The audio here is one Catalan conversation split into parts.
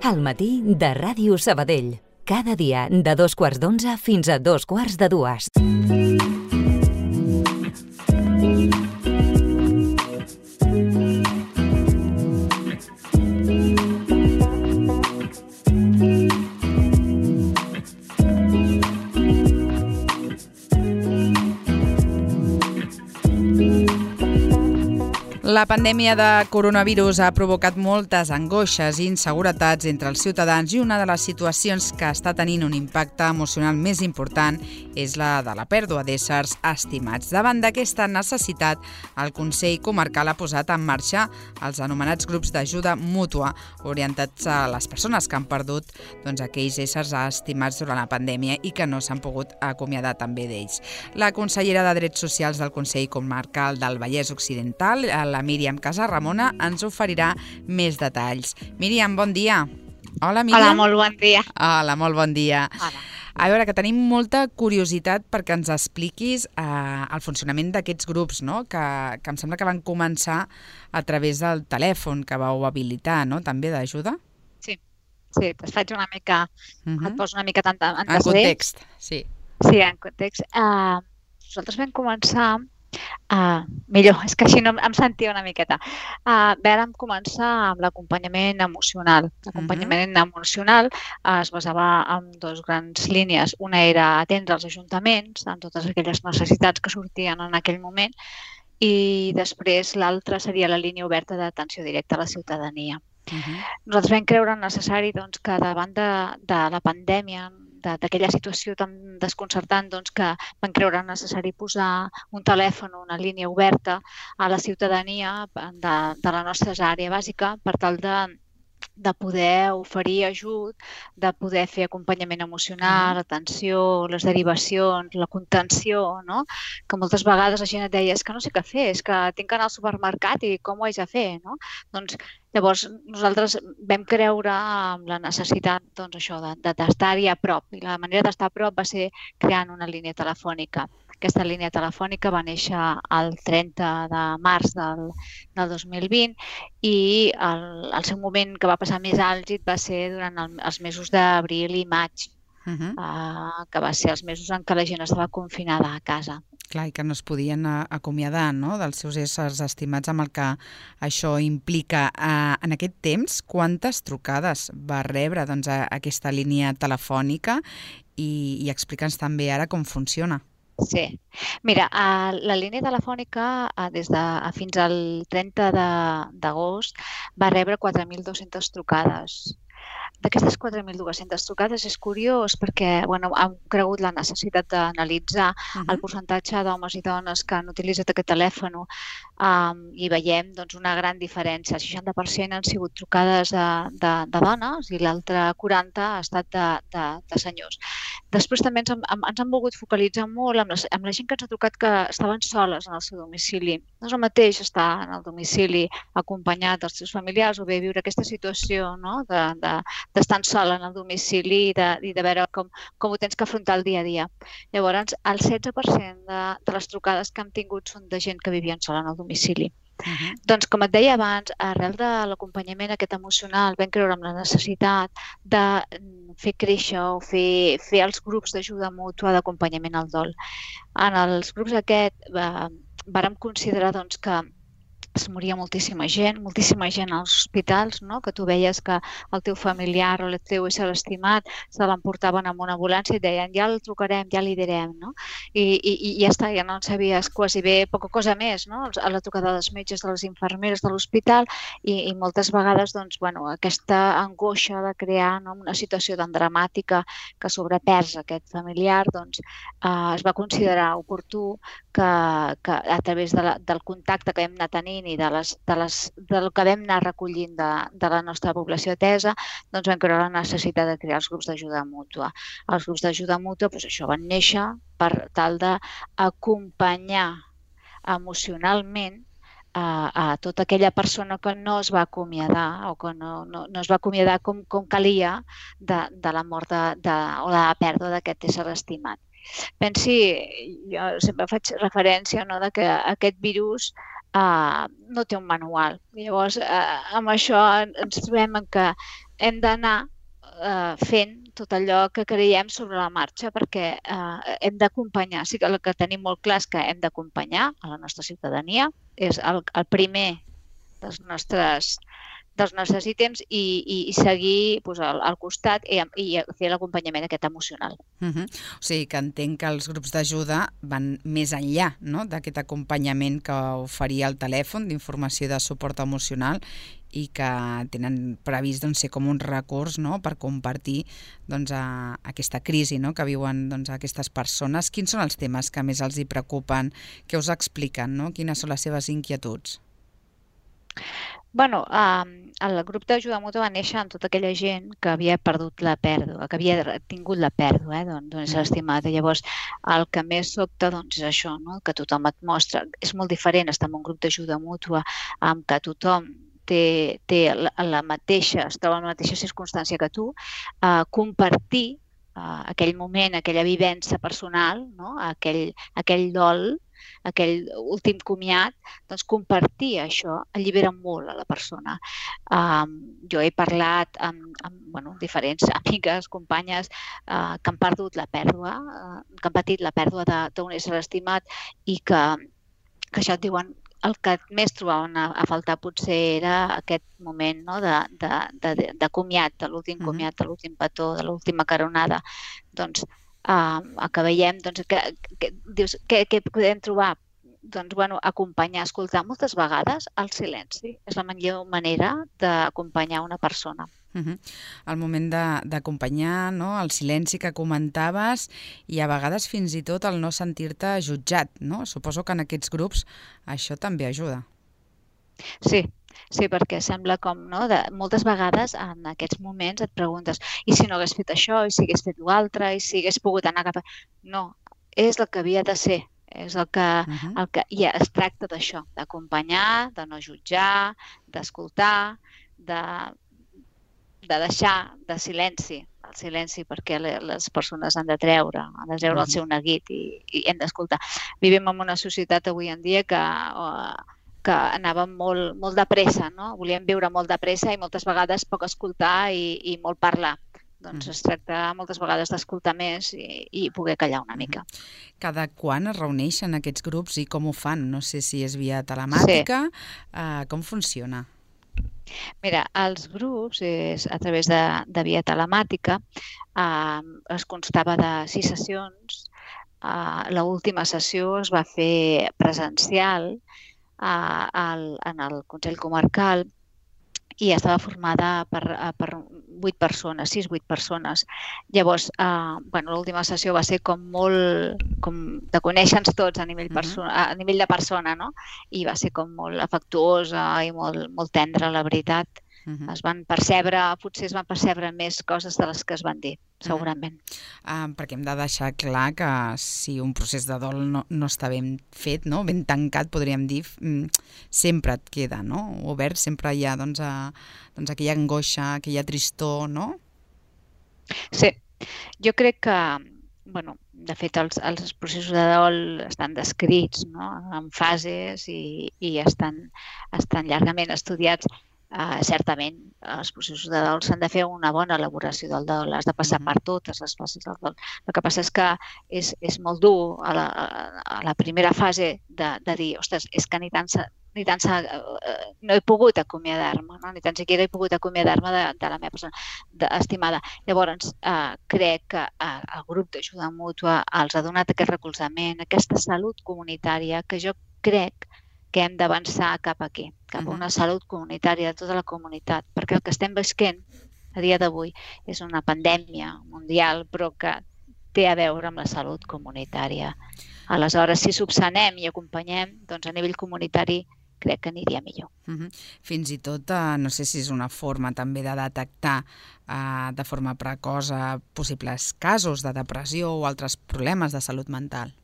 Al matí de Ràdio Sabadell. Cada dia de 2:15 fins a 2:45. La pandèmia de coronavirus ha provocat moltes angoixes i inseguretats entre els ciutadans i una de les situacions que està tenint un impacte emocional més important és la de la pèrdua d'éssers estimats. Davant d'aquesta necessitat, el Consell Comarcal ha posat en marxa els anomenats grups d'ajuda mútua orientats a les persones que han perdut aquells éssers estimats durant la pandèmia i que no s'han pogut acomiadar també d'ells. La consellera de Drets Socials del Consell Comarcal del Vallès Occidental, la Míriam Casaramona, ens oferirà més detalls. Míriam, bon dia. Hola, Míriam. Hola, molt bon dia. Hola, molt bon dia. Hola. A veure, que tenim molta curiositat perquè ens expliquis el funcionament d'aquests grups, no? Que em sembla que van començar a través del telèfon que vau habilitar, no? També d'ajuda? Sí, et faig una mica, et poso una mica en context, sí. Sí, en context. Nosaltres vam començar, millor, és que així no em sentia una miqueta. Vam començar amb l'acompanyament emocional. L'acompanyament emocional es basava en dues grans línies. Una era atendre els ajuntaments en totes aquelles necessitats que sortien en aquell moment i després l'altra seria la línia oberta d'atenció directa a la ciutadania. Nosaltres vam creure necessari que davant de la pandèmia, d'aquella situació tan desconcertant, que vam creure necessari posar un telèfon o una línia oberta a la ciutadania de la nostra àrea bàsica per tal de poder oferir ajut, de poder fer acompanyament emocional, atenció, les derivacions, la contenció, no? Que moltes vegades la gent et deia és que no sé què fer, és que tinc que anar al supermercat i com ho haig de fer, no? Doncs llavors nosaltres vam creure en la necessitat d'estar-hi a prop i la manera d'estar a prop va ser creant una línia telefònica. Aquesta línia telefònica va néixer el 30 de març del 2020 i el seu moment que va passar més àlgid va ser durant els mesos d'abril i maig, que va ser els mesos en què la gent estava confinada a casa. Clar, i que no es podien acomiadar, no?, dels seus éssers estimats, amb el que això implica. En aquest temps, quantes trucades va rebre aquesta línia telefònica i explica'ns també ara com funciona. Sí. Mira, la línia telefònica fins al 30 d'agost va rebre 4.200 trucades. D'aquestes 4.200 trucades és curiós perquè hem cregut la necessitat d'analitzar el percentatge d'homes i dones que han utilitzat aquest telèfon i veiem una gran diferència. El 60% han sigut trucades de dones i l'altre 40% ha estat de senyors. Després també ens han volgut focalitzar molt amb la gent que ens ha trucat que estaven soles en el seu domicili. No és el mateix estar en el domicili acompanyat dels seus familiars o bé viure aquesta situació d'estar sol en el domicili i de veure com ho tens que afrontar el dia a dia. Llavors, el 16% de les trucades que hem tingut són de gent que vivien sola en el domicili. Doncs, com et deia abans, arrel de l'acompanyament aquest emocional vam creure en la necessitat de fer créixer o fer els grups d'ajuda mútua d'acompanyament al dol. En els grups aquests vàrem considerar que es moria moltíssima gent als hospitals, que tu veies que el teu familiar o el teu ésser estimat se l'emportaven amb una ambulància i deien ja el trucarem, ja li direm, i ja està, ja no en sabies quasi bé poca cosa més, a la trucada dels metges, de les infermeres de l'hospital i moltes vegades aquesta angoixa de crear una situació tan dramàtica que sobrepès aquest familiar, es va considerar oportú que a través del contacte que vam anar tenint i del que vam anar recollint de la nostra població atesa, vam creure la necessitat de crear els grups d'ajuda mútua. Els grups d'ajuda mútua van néixer per tal d'acompanyar emocionalment a tota aquella persona que no es va acomiadar o que no es va acomiadar com calia de la mort o de la pèrdua d'aquest ésser estimat. Pensi, jo sempre faig referència que aquest virus no té un manual. Llavors, amb això ens trobem que hem d'anar fent tot allò que creiem sobre la marxa perquè hem d'acompanyar. Sí que el que tenim molt clar és que hem d'acompanyar a la nostra ciutadania. És el primer dels nostres ítems i seguir al costat i fer l'acompanyament aquest emocional. O sigui que entenc que els grups d'ajuda van més enllà d'aquest acompanyament que oferia el telèfon d'informació i de suport emocional i que tenen previst ser com un recurs per compartir aquesta crisi que viuen aquestes persones. Quins són els temes que més els hi preocupen? Què us expliquen? Quines són les seves inquietuds? Bueno, el grup d'ajuda mútua va néixer amb tota aquella gent que havia perdut la pèrdua, que havia tingut la pèrdua d'un ésser estimat. Llavors, el que més sobta és això, que tothom et mostra. És molt diferent estar en un grup d'ajuda mútua amb que tothom té la mateixa, es troba en la mateixa circumstància que tu, compartir aquell moment, aquella vivència personal, aquell dol, aquell últim comiat, doncs compartir això allibera molt a la persona. Jo he parlat amb diferents amigues, companyes que han perdut la pèrdua, que han patit la pèrdua d'un ésser estimat i que això et diuen el que més trobaven a faltar potser era aquest moment de comiat, de l'últim comiat, de l'últim petó, de l'última caronada. Doncs el que veiem, què podem trobar? Doncs, acompanyar, escoltar. Moltes vegades el silenci és la millor manera d'acompanyar una persona. El moment d'acompanyar, el silenci que comentaves i a vegades fins i tot el no sentir-te jutjat, no? Suposo que en aquests grups això també ajuda. Sí, perquè sembla com, moltes vegades en aquests moments et preguntes i si no hagués fet això, i si hagués fet l'altre, i si hagués pogut anar cap a... No, és el que havia de ser. És el que ja es tracta d'això, d'acompanyar, de no jutjar, d'escoltar, de deixar de silenci, el silenci perquè les persones han de treure el seu neguit i hem d'escoltar. Vivim en una societat avui en dia que anàvem molt de pressa, volíem viure molt de pressa i moltes vegades poc escoltar i molt parlar. Doncs es tracta moltes vegades d'escoltar més i poder callar una mica. Cada quan es reuneixen aquests grups i com ho fan? No sé si és via telemàtica, com funciona? Mira, els grups, a través de via telemàtica, es constava de 6 sessions. L'última sessió es va fer presencial en el Consell Comarcal i estava formada per 8 persones, 6-8 persones. Llavors, l'última sessió va ser com molt de conèixer-nos tots a nivell de persona, no? I va ser com molt afectuosa i molt tendra, la veritat. Potser es van percebre més coses de les que es van dir, segurament. Perquè hem de deixar clar que si un procés de dol no està ben fet, ben tancat, podríem dir, sempre et queda obert, sempre hi ha aquella angoixa, aquella tristor, no? Sí, jo crec que, de fet, els processos de dol estan descrits en fases i estan llargament estudiats. Certament, els processos de dol s'han de fer una bona elaboració del dol, has de passar per totes les fases del dol. El que passa és que és molt dur a la primera fase de dir, ostres, és que ni tant no he pogut acomiadar-me, ni tan siquiera he pogut acomiadar-me de la meva persona estimada. Llavors, crec que el grup d'ajuda mútua els ha donat aquest recolzament, aquesta salut comunitària que jo crec que hem d'avançar cap aquí, cap a una salut comunitària de tota la comunitat, perquè el que estem visquent a dia d'avui és una pandèmia mundial, però que té a veure amb la salut comunitària. Aleshores, si subsanem i acompanyem, doncs a nivell comunitari crec que aniria millor. Fins i tot, no sé si és una forma també de detectar de forma precoç possibles casos de depressió o altres problemes de salut mental.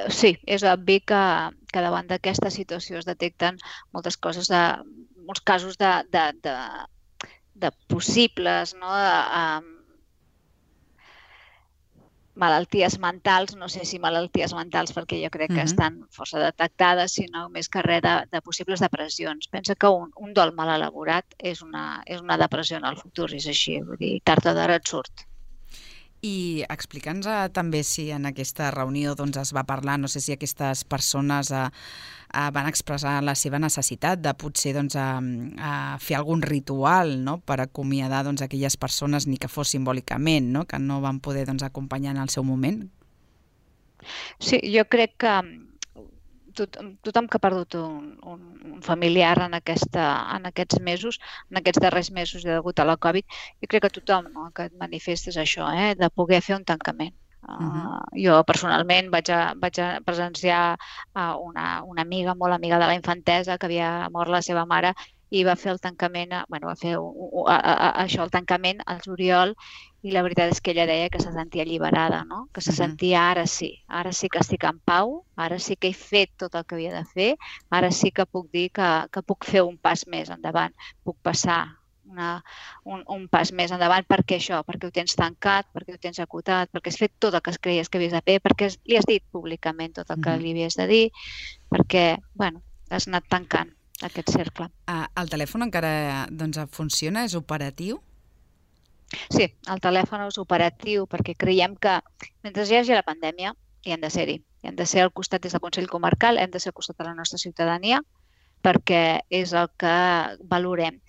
Sí, és obvi que davant d'aquesta situació es detecten moltes coses, molts casos de possibles malalties mentals, no sé si malalties mentals perquè jo crec que estan força detectades, sinó més que res de possibles depressions. Pensa que un dol mal elaborat és una depressió en el futur, és així, vull dir, tard o d'hora et surt. I explica'ns també si en aquesta reunió es va parlar, no sé si aquestes persones van expressar la seva necessitat de potser fer algun ritual per acomiadar aquelles persones, ni que fos simbòlicament, que no van poder acompanyar en el seu moment? Sí, jo crec que tothom que ha perdut un familiar en aquests mesos, en aquests darrers mesos degut a la Covid, jo crec que tothom que et manifesta és això, de poder fer un tancament. Jo personalment vaig a presenciar una amiga, molt amiga de la infantesa, que havia mort la seva mare i va fer el tancament, va fer el tancament al juliol, i la veritat és que ella deia que se sentia alliberada, que se sentia ara sí que estic en pau, ara sí que he fet tot el que havia de fer, ara sí que puc dir que puc fer un pas més endavant, puc passar un pas més endavant perquè ho tens tancat, perquè ho tens acotat, perquè has fet tot el que creies que havies de fer, perquè li has dit públicament tot el que li havies de dir, perquè has anat tancant aquest cercle. El telèfon encara funciona? És operatiu? Sí, el telèfon és operatiu perquè creiem que mentre hi hagi la pandèmia hi hem de ser-hi. Hem de ser al costat des del Consell Comarcal, hem de ser al costat de la nostra ciutadania perquè és el que valorem.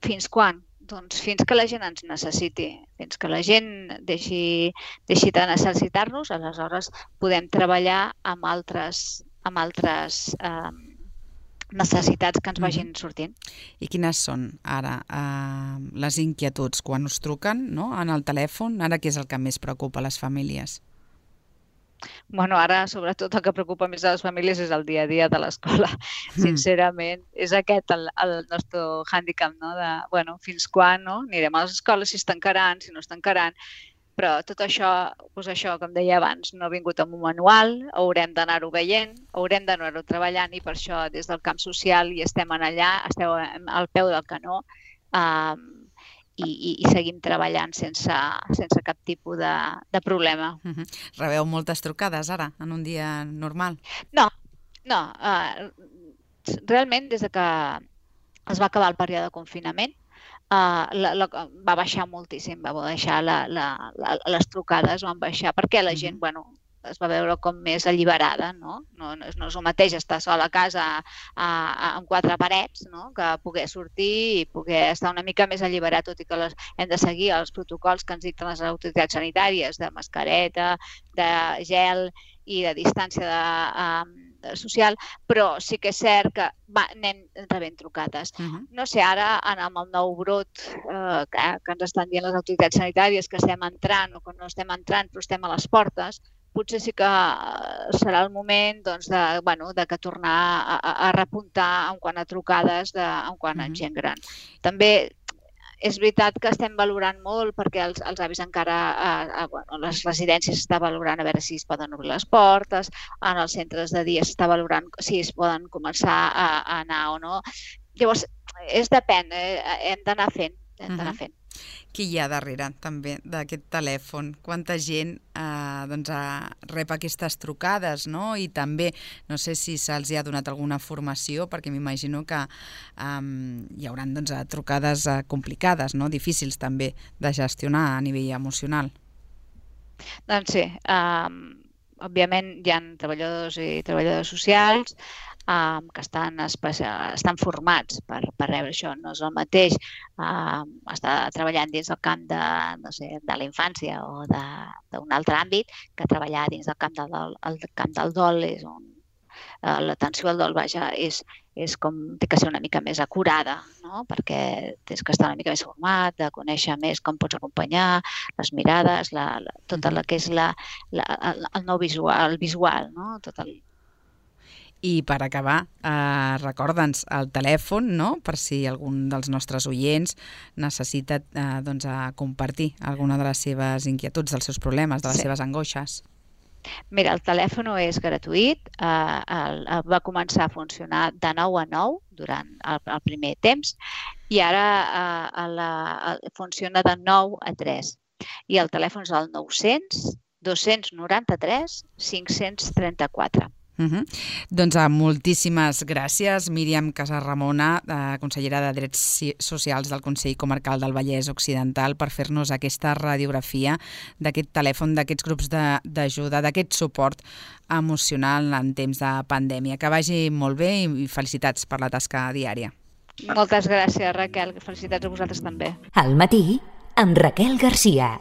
Fins quan? Doncs fins que la gent ens necessiti, fins que la gent deixi de necessitar-nos, aleshores podem treballar amb altres necessitats que ens vagin sortint. I quines són ara les inquietuds quan us truquen en el telèfon? Ara què és el que més preocupa a les famílies? Ara, sobretot, el que preocupa més a les famílies és el dia a dia de l'escola. Sincerament, és aquest el nostre hàndicap, de fins quan anirem a les escoles, si es tancaran, si no es tancaran. Però tot això, com deia abans, no ha vingut amb un manual, haurem d'anar-ho veient, haurem d'anar-ho treballant i per això des del camp social hi estem allà, esteu al peu del canó i seguim treballant sense cap tipus de problema. Rebeu moltes trucades ara, en un dia normal? No. Realment, des que es va acabar el període de confinament, va baixar moltíssim, va baixar les trucades, van baixar, perquè la gent, es va veure com més alliberada, no? No és el mateix estar sol a casa amb quatre parets, que poder sortir i poder estar una mica més alliberat, tot i que hem de seguir els protocols que ens dicten les autoritats sanitàries de mascareta, de gel i de distància social, però sí que és cert que anem rebent trucades. No sé, ara amb el nou brot que ens estan dient les autoritats sanitàries que estem entrant o que no estem entrant però estem a les portes, potser sí que serà el moment de que tornar a repuntar en quant a trucades, en quant a gent gran. També és veritat que estem valorant molt perquè els avis encara, les residències s'està valorant a veure si es poden obrir les portes, en els centres de dia s'està valorant si es poden començar a anar o no. Llavors, depèn, hem d'anar fent, Qui hi ha darrere també d'aquest telèfon? Quanta gent rep aquestes trucades, i també, no sé si se'ls ha donat alguna formació, perquè m'imagino que hi haurà trucades complicades, difícils també de gestionar a nivell emocional. Doncs sí, òbviament hi ha treballadors i treballadores socials que estan formats per rebre això. No és el mateix estar treballant dins del camp de la infància o d'un altre àmbit que treballar dins del camp del dol. L'atenció al dol, és com té que ser una mica més acurada, perquè tens que estar una mica més format, de conèixer més com pots acompanyar, les mirades, tot el que és el nou visual, tot el... I per acabar, recorda'ns el telèfon, per si algun dels nostres oients necessita compartir alguna de les seves inquietuds, dels seus problemes, de les seves angoixes. Mira, el telèfon és gratuït, va començar a funcionar de 9 a 9 durant el primer temps i ara funciona de 9 a 3. I el telèfon és el 900 293 534. Doncs moltíssimes gràcies, Míriam Casaramona, consellera de Drets Socials del Consell Comarcal del Vallès Occidental, per fer-nos aquesta radiografia d'aquest telèfon, d'aquests grups d'ajuda, d'aquest suport emocional en temps de pandèmia. Que vagi molt bé i felicitats per la tasca diària. Moltes gràcies, Raquel. Felicitats a vosaltres també. Al matí, amb Raquel Garcia.